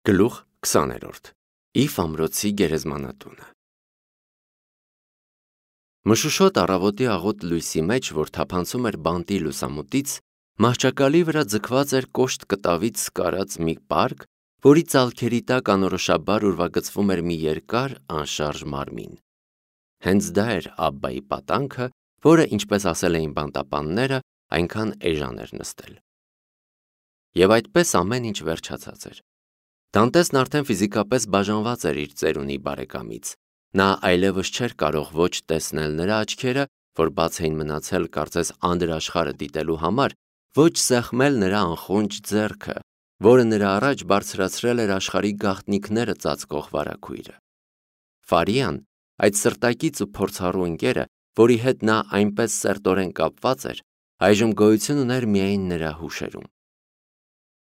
Գլուխ 20-րդ Իվ ամրոցի գերեզմանատունը Մշուշոտ առավոտի աղոտ լույսի մեջ, որ թափանցում էր բանտի լուսամուտից, մահճակալի վրա ձգված էր կոշտ կտավից սկարած մի պարկ, որի ծալքերի տակ անորոշաբար ուրվագծվում էր մի երկար, անշարժ մարմին։ Հենց դա էր Աբբայի պատանքը, որը, ինչպես ասել էին բանտապանները, այնքան էժան էր նստել։ Եվ այդպես ամեն ինչ վերջացած էր։ Դանտեսն արդեն ֆիզիկապես բաժանված էր իր ծերունի բարեկամից։ Նա այլևս չէր կարող ոչ տեսնել նրա աչքերը, որ բաց էին մնացել կարծես անդրաշխարհը դիտելու համար, ոչ սեղմել նրա անխունջ ձեռքը, որը նրա առաջ բարձրացրել էր աշխարհի գաղտնիքները ծածկող վարագույրը։ Ֆարիան, այդ սրտակից ու փորձառու ընկերը, որի հետ նա այնպես սերտորեն կապված էր, այժմ գոյություն ուներ միայն նրա հուշերում։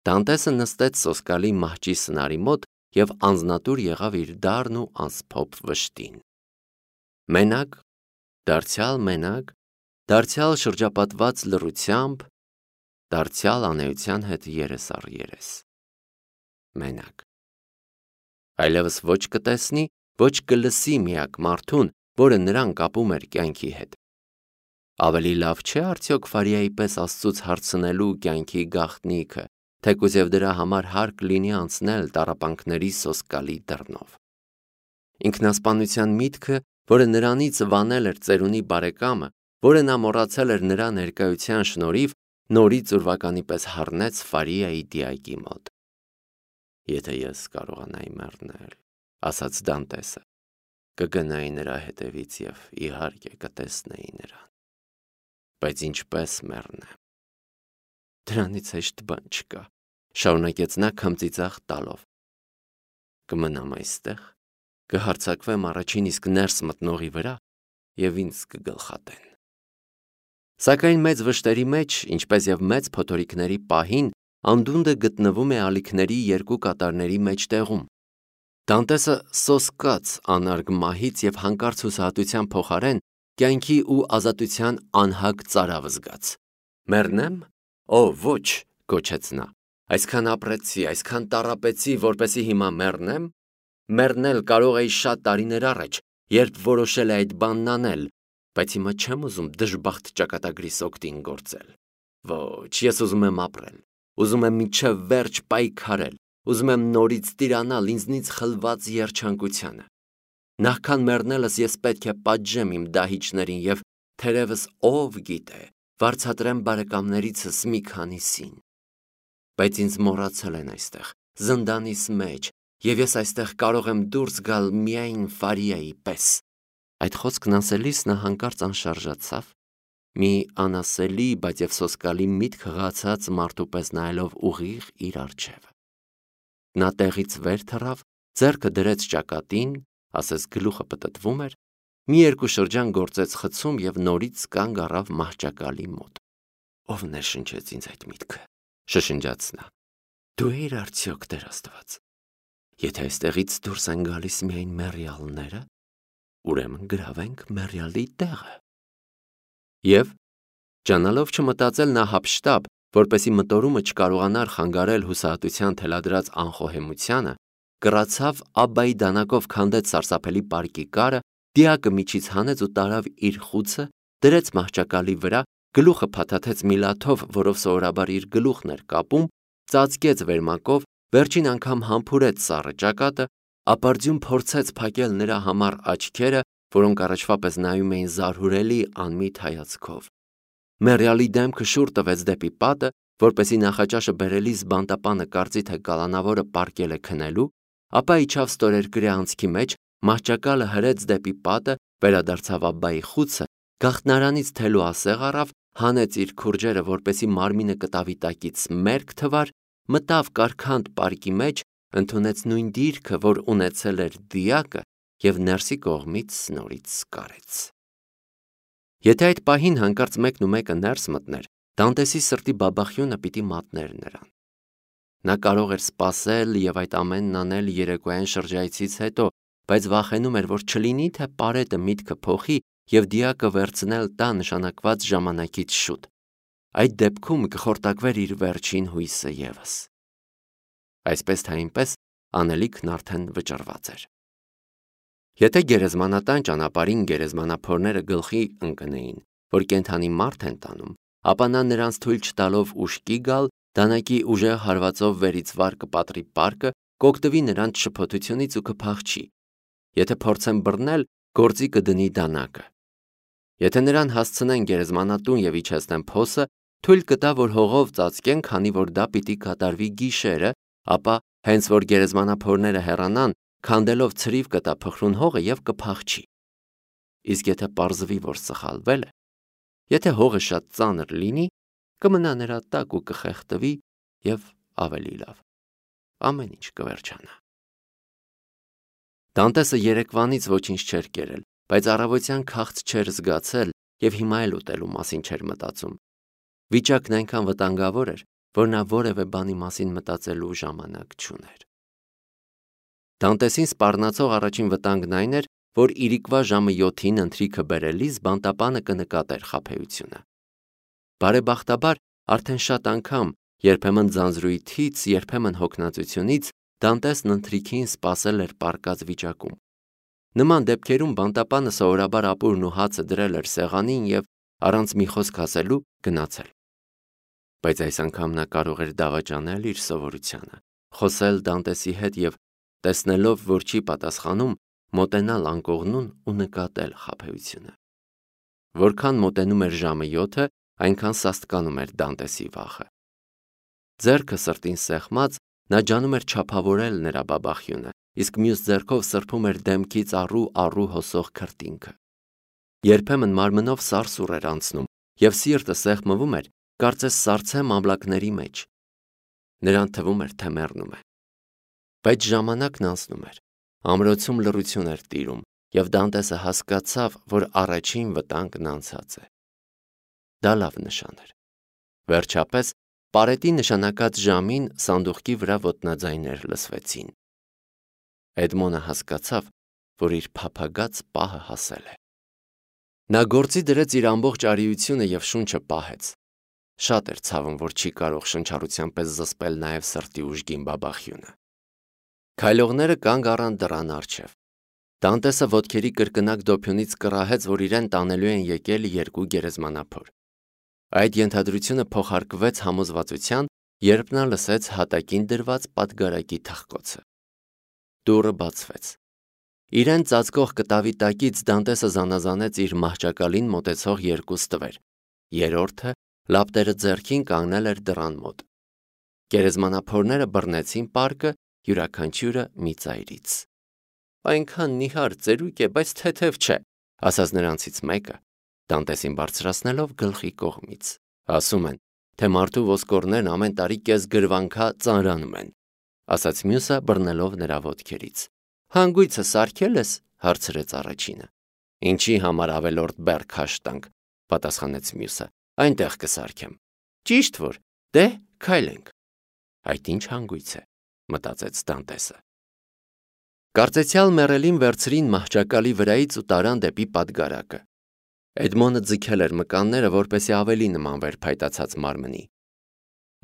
Դանտեսը նստեց սոսկալի մահճի սնարի մոտ և անձնատուր եղավ իր դառն ու անսփոփ վշտին։ Մենակ, դարձյալ շրջապատված լռությամբ, դարձյալ անեության հետ երես առ երես։ Մենակ։ Այլևս ոչ կտեսնի, ոչ կլսի միակ մարդուն, որը նրան կապում էր կյանքի հետ։ Ավելի լավ չէ արդյոք Ֆարիայի պես Աստծուց հարցնելու կյանքի գաղտնիքը, թեկուզ և դրա համար հարկ լինի անցնել տառապանքների սոսկալի դռնով։ Ինքնասպանության միտքը, որը նրանից վանել էր ծերունի բարեկամը, որը նա մոռացել էր նրա ներկայության շնորհիվ, նորից ուրվականի պես հառնեց Ֆարիայի դիակի մոտ։ Եթե ես կարողանայի մեռնել, ասաց Դանտեսը, կգնայի նրա հետևից և իհարկե կտեսնեի նրան։ Բայց ինչպես մեռնեմ։ Դրանից հեշտ բան չկա, շարունակեց նա քմծիծաղ տալով։ Կմնամ այստեղ, կհարձակվեմ առաջին իսկ ներս մտնողի վրա և ինձ կգլխատեն։ Սակայն մեծ վշտերի մեջ, ինչպես և մեծ փոթորիկների պահին, անդունդը գտնվում է ալիքների երկու կատարների մեջտեղում։ Դանտեսը սոսկաց անարգ մահից և հանկարծ հուսահատության փոխարեն կյանքի ու ազատության անհագ ծարավ զգաց։ Մեռնեմ։ Օ, ոչ, գոչեց նա, այսքան ապրեցի, այսքան տառապեցի, որպեսզի հիմա մեռնեմ։ Մեռնել կարող էի շատ տարիներ առաջ, երբ որոշել էի այդ բանն անել, բայց հիմա չեմ ուզում դժբախտ ճակատագրիս օգտին գործել։ Ոչ, ես ուզում եմ ապրել, ուզում եմ մինչև վերջ պայքարել, ուզում եմ նորից տիրանալ ինձնից խլված երջանկությանը։ Նախքան մեռնելս ես պետք է պատժեմ իմ դահիճներին և, թերևս, ով գիտե, վարձատրեմ բարեկամներիցս մի քանիսին։ Բայց ինձ մոռացել են այստեղ, զնդանիս մեջ, և ես այստեղ կարող եմ դուրս գալ միայն Ֆարիայի պես։ Այդ խոսքն ասելիս նա հանկարծ անշարժացավ, մի անասելի, բայց և սոսկալի միտք հղացած մարդու պես նայելով ուղիղ իր առջև։ Նա տեղից վեր թռավ, ձեռքը դրեց ճակատին, ասես գլուխը պտտվում էր, մի երկու շրջան գործեց խցում և նորից կանգ առավ մահճակալի մոտ։ Ով ներշնչեց ինձ այդ միտքը, շշնջաց նա։ Դու էիր արդյոք, Տեր Աստված։ Եթե այստեղից դուրս են գալիս միայն մեռյալները, ուրեմն գրավենք մեռյալի տեղը։ Եվ, ճանալով չմտածել նա հափշտապ, որպեսզի մտորումը չկարողանար խանգարել հուսահատության թելադրած անխոհեմությանը, կռացավ Աբբայի դանակով քանդեց սարսափելի պարկի կարը, դիակը միջից հանեց ու տարավ իր խուցը, դրեց մահճակալի վրա, գլուխը փաթաթեց մի լաթով, որով սովորաբար իր գլուխն էր կապում, ծածկեց վերմակով, վերջին անգամ համբուրեց սառը ճակատը, ապարդյուն փորձեց փակել նրա համառ աչքերը, որոնք առաջվա պես նայում էին զարհուրելի անմիտ հայացքով։ Մեռյալի դեմքը շուռ տվեց դեպի պատը, որպեսզի նախաճաշը բերելիս բանտապանը կարծի, թե կալանավորը պառկել է քնելու, ապա իջավ ստորերկրյա անցքի մեջ, մահճակալը հրեց դեպի պատը, վերադարձավ Աբբայի խուցը, գաղտնարանից թելու ասեղ առավ, հանեց իր քուրջերը, որպեսզի մարմինը կտավի տակից մերկ թվար, մտավ կարքանդ պարկի մեջ, ընդունեց նույն դիրքը, որ ունեցել էր դիակը, և ներսի կողմից նորից սկարեց։ Եթե այդ պահին հանկարծ մեկը ներս մտներ, Դանտեսի սրտի բաբախյունը պիտի մատներ նրան։ Նա կարող էր սպասել և այդ ամենն անել երեկոյան շրջայցից հետո, բայց վախենում էր, որ չլինի, թե պարետը միտքը փոխի և դիակը վերցնել տա նշանակված ժամանակից շուտ։ Այդ դեպքում կխորտակվեր իր վերջին հույսը ևս։ Այսպես թե այնպես, անելիքն արդեն վճռված էր։ Եթե գերեզմանատան ճանապարհին գերեզմանափորները գլխի ընկնեին, որ կենդանի մարդ են տանում, ապա նա նրանց թույլ չտալով ուշքի գալ, դանակի ուժեղ հարվածով վերից վար կպատրի պարկը, կօգտվի նրանց շփոթությունից ու կփախչի։ Եթե փորձեն բռնել, գործի կդնի դանակը։ Եթե նրան հասցնեն գերեզմանատուն եւ իջեցնեն փոսը, թույլ կտա, որ հողով ծածկեն, քանի որ դա պիտի կատարվի գիշերը, ապա հենց որ գերեզմանափորները հեռանան, քանդելով ցրիվ կտա փխրուն հողը եւ կփախչի։ Իսկ եթե պարզվի, որ սխալվել է, եթե հողը շատ ծանր լինի, կմնա նրա տակ ու կխեղդվի եւ ավելի լավ, ամեն ինչ կվերջանա։ Դանտեսը երեկվանից ոչինչ չէր կերել, բայց առավոտյան քաղց չէր զգացել եւ հիմա էլ ուտելու մասին չէր մտածում։ Վիճակն այնքան վտանգավոր էր, որ նա որևէ բանի մասին մտածելու ժամանակ չուներ։ Դանտեսին սպառնացող առաջին վտանգն այն էր, որ իրիկվա ժամը 7-ին ընթրիքը բերելիս բանտապանը կնկատեր խաբեությունը։ Բարեբախտաբար արդեն շատ անգամ, երբեմն ձանձրույթից, երբեմն հոգնածությունից, Դանտեսն ընթրիքին սպասել էր պառկած վիճակում։ Նման դեպքերում բանտապանը սովորաբար ապուրն ու հացը դրել էր սեղանին եւ առանց մի խոսք ասելու գնացել։ Բայց այս անգամ նա կարող էր դավաճանել իր սովորությանը, խոսել Դանտեսի հետ եւ տեսնելով, որ չի պատասխանում, մոտենալ անկողնուն ու նկատել խաբեությունը։ Որքան մոտենում էր ժամը 7-ը, այնքան սաստկանում էր Դանտեսի վախը։ Ձեռքը սրտին սեղմած, նա ջանում էր չափավորել նրա բաբախյունը, իսկ մյուս ձեռքով սրբում էր դեմքից առու հոսող քրտինքը։ Երբեմն մարմնով սարսուռ էր անցնում, եւ սիրտը սեղմվում էր, կարծես սառցե մամլակների մեջ։ Նրան թվում էր, թե մեռնում է։ Բայց ժամանակն անցնում էր, ամրոցում լռություն էր տիրում, եւ Դանտեսը հասկացավ, որ առաջին վտանգն անցած է։ Դա լավ նշան էր։ Վերջապես, պարետի նշանակած ժամին սանդուղքի վրա ոտնաձայներ լսվեցին։ Էդմոնը հասկացավ, որ իր փափագած պահը հասել է։ Նա գործի դրեց իր ամբողջ արիությունը եւ շունչը պահեց։ Շատ էր ցավում, որ չի կարող շնչառության պես զսպել նաեւ սրտի ուժգին բաբախյունը։ Քայլողները կանգ առան դռան առջև։ Դանտեսը ոտքերի կրկնակ դոփյունից կռահեց, որ իրեն տանելու են եկել երկու գերեզմանափոր։ Այդ ենթադրությունը փոխարկվեց համոզվածության, երբ նա լսեց հատակին դրված պատգարակի թխկոցը։ Դուռը բացվեց։ Իրեն ծածկող կտավի տակից Դանտեսը զանազանեց իր մահճակալին մոտեցող երկու ստվեր։ Երրորդը, լապտերը ձեռքին, կանգնել էր դռան մոտ։ Գերեզմանափորները բռնեցին պարկը, յուրաքանչյուրը մի ծայրից։ Այնքան նիհար ծերուկ է, բայց թեթև չէ, ասաց նրանցից մեկը, Դանտեսին բարձրացնելով գլխի կողմից։ Ասում են, թե մարդու ոսկորներն ամեն տարի կես գրվանքա ծանրանում են, ասաց մյուսը բռնելով նրա ոտքերից։ Հանգույցը սարքել ես, հարցրեց առաջինը։ Ինչի համար ավելորդ բեռ քաշ տանք, պատասխանեց մյուսը։ Այնտեղ կսարքեմ։ Ճիշտ որ, դե քայլենք։ Այդ ինչ հանգույց է, մտածեց Դանտեսը։ Կարծեցյալ մեռելին վերցրին մահճակալի վրայից ու տարան դեպի պատգարակը։ Էդմոնը ձգել էր մկանները, որպեսզի ավելի նմանվեր փայտացած մարմնի։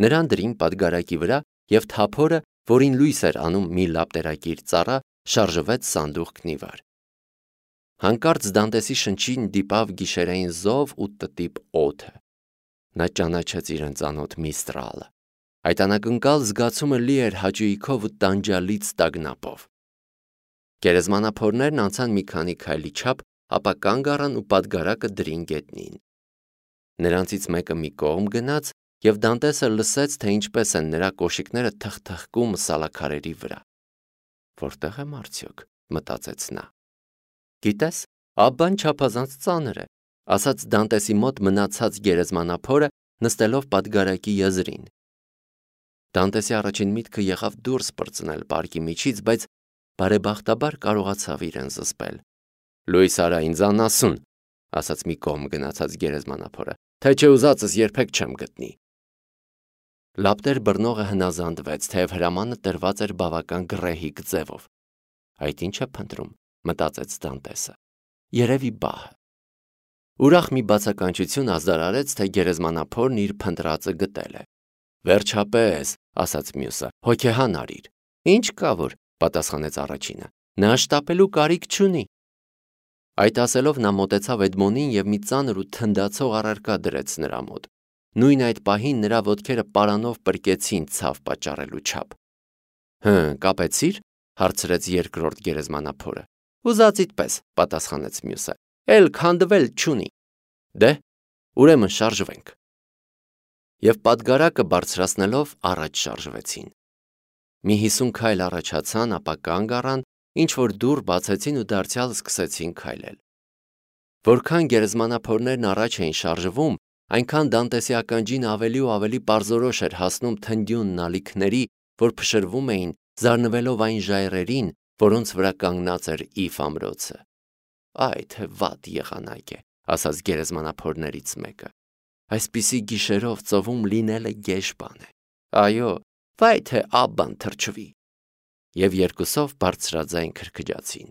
Նրան դրին պատգարակի վրա եւ թափորը, որին լույս էր անում մի լապտերակիր ծառա, շարժվեց սանդուղքն ի վար։ Հանկարծ Դանտեսի շնչին դիպավ գիշերային զով ու տտիպ օդը։ Նա ճանաչեց իրեն ծանոթ Միստրալը։ Այդ անակնկալ զգացումը լի էր հաճույքով ու տանջալից տագնապով։ Գերեզմանափորներն անցան մի քանի քայլի չափ, ապա կանգ առան ու պատգարակը դրին գետնին։ Նրանցից մեկը մի կողմ գնաց, եւ Դանտեսը լսեց, թե ինչպես են նրա կոշիկները թխթխկում սալաքարերի վրա։ Որտեղ եմ արդյոք, մտածեց նա։ Գիտես, աբան չափազանց ծանր է, ասաց Դանտեսի մոտ մնացած գերեզմանափորը, նստելով պատգարակի եզրին։ Դանտեսի առաջին միտքը եղավ դուրս պրծնել պարկի միջից, բայց բարեբախտաբար կարողացավ իրեն զսպել։ Լույս արա ինձ անասուն, ասաց մի կողմ գնացած գերեզմանափորը, թե չէ ուզածս երբեք չեմ գտնի։ Լապտեր բռնողը հնազանդվեց, թեև հրամանը տրված էր բավական գռեհիկ ձևով։ Այդ ինչ է փնտրում, մտածեց Դանտեսը։ Երևի բահը։ Ուրախ մի բացականչություն ազդարարեց, թե գերեզմանափորն իր փնտրածը գտել է։ Վերջապես, ասաց մյուսը, հոգեհան արիր։ Ինչ կա որ, պատասխանեց առաջինը, նա շտապելու կարիք չունի։ Այդ ասելով նա մոտեցավ Էդմոնին և մի ծանր ու թնդացող առարկա դրեց նրա մոտ։ Նույն այդ պահին նրա ոտքերը պարանով պրկեցին ցավ պատճառելու չափ։ Կապեցի՞ր, հարցրեց երկրորդ գերեզմանափորը։ Ուզածիդ պես, պատասխանեց մյուսը, էլ քանդվել չունի։ Դե, ուրեմն շարժվենք։ Եվ պատգարակը բարձրացնելով առաջ շարժվեցին։ Մի 50 քայլ առաջացան, ապա կանգ առան, ինչ-որ դուռ բացեցին ու դարձյալ սկսեցին քայլել։ Որքան գերեզմանափորներն առաջ էին շարժվում, այնքան Դանտեսի ականջին ավելի ու ավելի պարզորոշ էր հասնում թնդյուն նալիքների, որ փշրվում էին, զարնվելով այն ժայռերին, որոնց վրա կանգնած էր Իվ ամրոցը։ Այ թե վատ եղանակ է, ասաց գերեզմանափորներից մեկը։ Այսպիսի գիշերով ծովում լինելը գեշ բան է։ Այո, վայ թե աբան թրջվի։ Եվ երկուսով բարձրաձայն քրքջացին։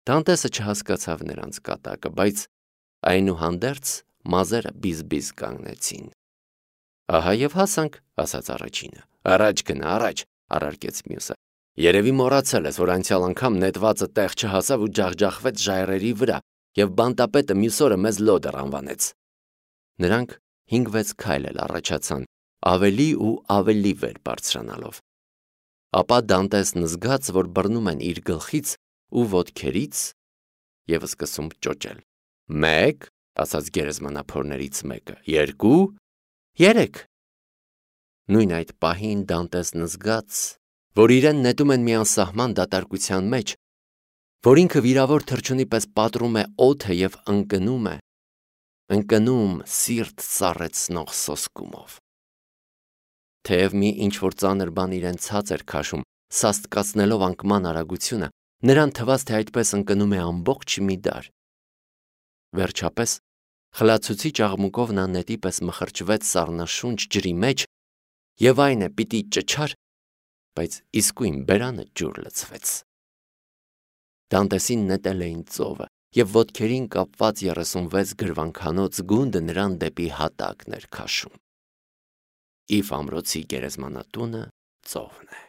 Դանտեսը չհասկացավ նրանց կատակը, բայց այնուհանդերձ մազերը բիզ-բիզ կանգնեցին։ Ահա և հասանք, ասաց առաջինը։ Առաջ գնա, առաջ, առարկեց մյուսը։ Երևի մոռացել ես, որ անցյալ անգամ նետվածը տեղ չհասավ ու ջախջախվեց ժայռերի վրա, և բանտապետը մյուս օրը մեզ լոդեր անվանեց։ Նրանք 5-6 քայլ էլ առաջացան, ավելի ու ավելի վեր բարձրանալով։ Ապա Դանտեսն զգաց, որ բռնում են իր գլխից ու ոտքերից և սկսում ճոճել։ 1, ասաց գերեզմանափորներից մեկը, 2, 3։ Նույն այդ պահին Դանտեսն զգաց, որ իրեն նետում են մի անսահման դատարկության մեջ, որ ինքը վիրավոր թռչունի պես պատռում է օդը և ընկնում սիրտ սառեցնող սոսկումով։ Թեև մի ինչ-որ ծանր բան իրեն ցած էր քաշում, սաստկացնելով անկման արագությունը, նրան թվաց, թե այդպես ընկնում է ամբողջ մի դար։ Վերջապես, խլացուցիչ աղմուկով նա նետի պես մխրճվեց սառնաշունչ ջրի մեջ, և այն է պիտի ճչար, բայց իսկույն բերանը ջուր լցվեց։ Դանտեսին նետել էին ծովը, և ոտքերին կապված 36 գրվանքանոց գունդը նրան դեպի հատակն էր քաշում։ Իվ ամրոցի գերեզմանատունը ծովն է։